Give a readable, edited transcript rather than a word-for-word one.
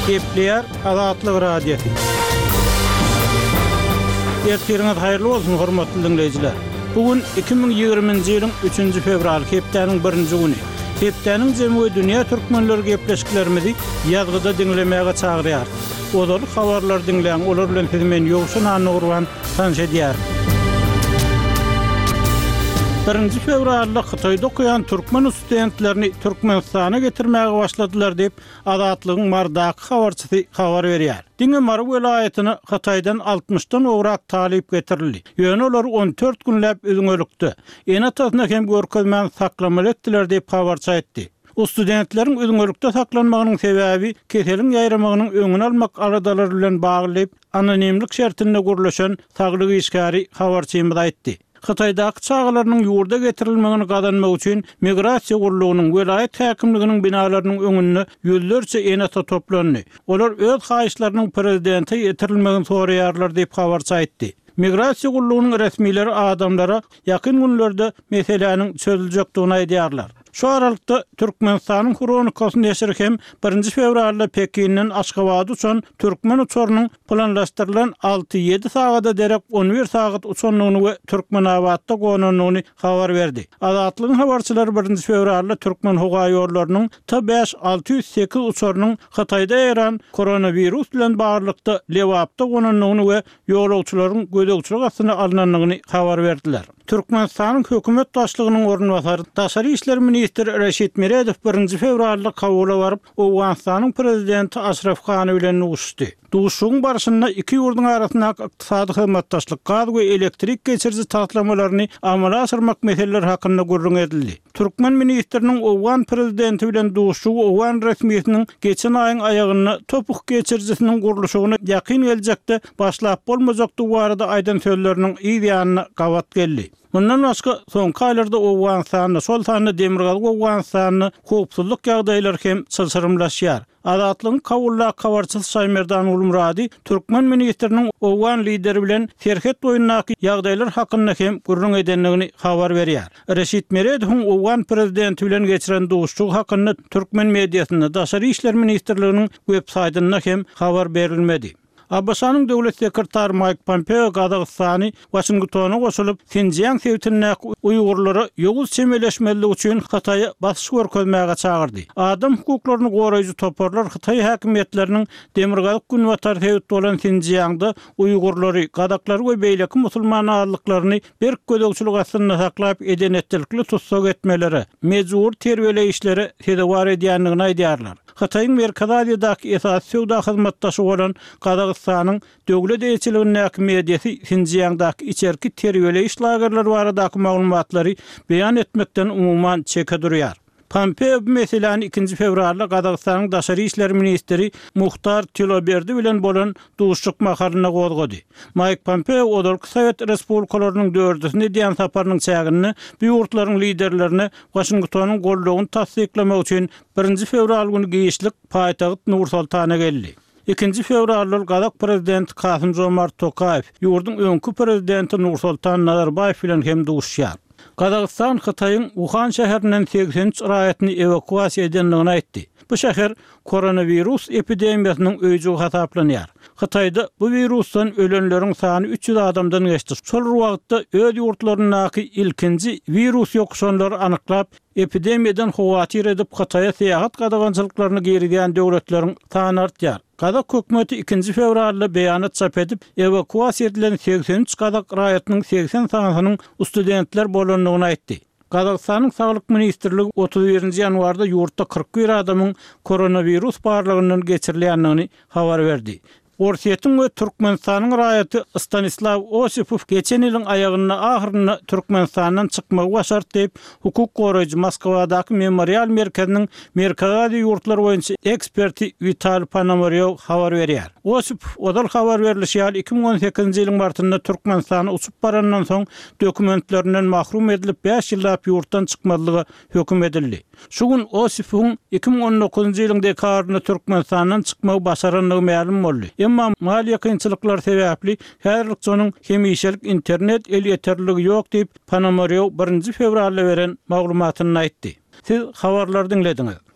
Gepleýär Azatlyk Radiosy. Ertiriňiz haýyrly bolsun, hormatly diňleýjiler! Bu gün 2020-nji ýylyň üçünji fewraly, hepdäniň birinji güni. Hepdäniň jemi we dünýä türkmenleri gepleşiklerimizi ýazgyda diňlemäge çagyrýarys. Ozaly habarlary diňläň, olar bilen sizi men Ýowşan Annagurban tanyş edýärin. Birinji fewralda Hytaýda okaýan türkmen studentlerini Türkmenistana getirmäge başladylar diýip, Azatlygyň Marydaky habarçysy habar berýär. Diňe Mary welaýatyna Hytaýdan altmyşdan gowrak talyp getirildi. Ýöne olary on dört günläp üzňelikde, ene-atasyna hem görkezmän saklamaly etdiler diýip, habarçy aýtdy. Studentleriň üzňelikde saklanmagynyň sebäbi keseliň ýaýramagynyň öňüni almak aladalary bilen bagly diýip, anonimlik şertinde gürleşen saglyk işgäri habarçymyza aýtdy. Hytaýdaky çagalarynyň ýurda getirilmegini gazanmak üçin Migrasiýa gullugynyň, welaýat häkimliginiň binalarynyň öňünde ýüzlerçe ene-ata toplandy. Olar öz haýyşlarynyň prezidente ýetirilmegini soraýarlar diýip, habarçy aýtdy. Migrasiýa gullugynyň resmileri adamlara ýakyn günlerde meseläniň çözüljekdigini aýdýarlar. Şu aralykda, Türkmenistanyň Hronikasy neşiri hem birinji fewralda Pekinden Aşgabada uçan türkmen uçarynyň planlaşdyrylan alty-ýedi sagada derek on bir sagat uçandygyny we Türkmenabatda gonandygyny habar berdi. Azatlygyň habarçylary birinji fewralda Türkmenhowaýollarynyň T-bäş 608 uçarynyň Hytaýda ýaýran koronawirus bilen baglylykda Lebapda gonandygyny we ýolagçylaryň gözegçilik astyna alnandygyny habar berdiler. Türkmenistanyň hökümet başlygynyň orunbasary, daşary işler ministri Reşit Meredow birinji fewralda Kabula baryp, Owganystanyň prezidenti Aşraf Gani bilen duşuşdy. Duşuşygyň barşynda iki ýurduň arasyndaky ykdysady hyzmatdaşlyk, gaz we elektrik geçiriji taslamalaryny amala aşyrmak meseleleri hakynda gürrüň edildi. Türkmen ministriniň owgan prezidenti bilen duşuşygy owgan resmisiniň geçen aýyň aýagynda topuk geçirijisiniň gurluşygyna ýakyn geljekde başlap bolmajakdygy barada aýdan sözleriniň yz ýanyna gabat geldi. Mundan başga, soňky aýlarda Owganystanda, şol sanda Demirgazyk Owganystanda howpsuzlyk ýagdaýlary hem çylşyrymlaşýar. Azatlygyň Kabuldaky habarçysy Şaýmerdan Gulmyrady türkmen ministriniň owgan lideri bilen serhet boýundaky ýagdaýlar hakynda hem gürrüň edendigini habar berýär. Reşit Meredowyň owgan prezidenti bilen geçiren duşuşygy hakynda türkmen mediasynda, Daşary işler ministrliginiň websaýtynda hem habar berilmedi. ABŞ-nyň döwlet sekretary Maýk Pompeo Gazagystany Waşingtona goşulyp, Sinjiang sebitindäki uýgurlara ýowuz çemeleşmezlik üçin Hytaýa basyş görkezmäge çagyrdy. Adam hukuklaryny goraýjy toparlar hytaý häkimiýetleriniň demirgazyk-günbatar sebit bolan Sinjiangda uýgurlary, gazaklary we beýleki musulman azlyklaryny berk gözegçilik astynda saklap eden-etdilikli tussag etmelere, mejbury terbiýeleýişlere sezewar edýändigini aýdýarlar. Hytaýyň Merkezi Aziýadaky esasy söwda hyzmatdaşy bolan Gazagystanyň döwlet eýeçiligindäki mediasy Sinjiangdaky içerki terbiýeleýiş lagerleri baradaky maglumatlary beýan etmekden umuman çeke durýar. Pompeo bu meseläni ikinji fewralda Gazagystanyň daşary işler ministri Muhtar Tiloberdi bilen bolan duşuşyk mahalynda gozgady. Maýk Pompeo ozalky sowet respublikalarynyň dördüsine edýän saparynyň çäginde bu ýurtlaryň liderlerine Waşingtonyň goldawyny tassyklamak üçin Birinji fewral güni giçlik paýtagt Nur-Soltana geldi. Ikinji fewralda ol gazak prezidenti Kasym-Žomart Tokaýew, ýurduň öňki prezidenti Nursoltan Nazarbaýew bilen hem duşuşýar. Gazagystan Hytaýyň Wuhan şäherinden 83 raýatyny ewakuasiýa edendigini aýtdy. Bu şäher koronawirus epidemiýasynyň öýjügi hasaplanýar. Hytaýda bu wirusdan ölenleriň sany 300 adamdan geçdi. Şol bir wagtda öz ýurtlaryndaky ilkinji wirus ýokuşanlary anyklap, Epidemiýadan howatyr edip Hytaýa syýahat gadagançylyklaryny girizýän döwletleriň sany artýar. Gazak hökümeti ikinji fewralda beýanat çap edip, ewakuasiýa edilen 83 gazak raýatynyň 80 sanysynyň studentler bolandygyny aýtdy. Gazagystanyň Saglyk ministrligi 31-nji ýanwarda ýurtda 41 adamyň koronawirus barlagyndan geçirilýändigini habar berdi. Orsýetiň we Türkmenistanyň raýaty Stanislaw Osipow geçen ýylyň aýagynda ahyrynda Türkmenistandan çykmagy başardy diýip, hukuk goraýjy Moskwadaky Memorial merkeziniň Merkezi Aziýa ýurtlary boýunça eksperti Witaliý Ponomarýow habar berýär. Osipow ozal habar berlişi ýaly, 2018-nji ýylyň martynda Türkmenistana uçup barandan soň dokumentlerinden mahrum edilip, bäş ýyllap ýurtdan çykmazlyga höküm edildi. Şu gün Osipowyň 2019-njy ýylyň dekabrynda Türkmenistandan çykmagy başarandygy mälim boldy. Emma maliýe kynçylyklary sebäpli häzirlikçe onuň hemişelik internet elýeterliligi ýok diýip, Ponomarýow birinji fewralda beren maglumatynda aýtdy. Siz habarlary diňlediňiz.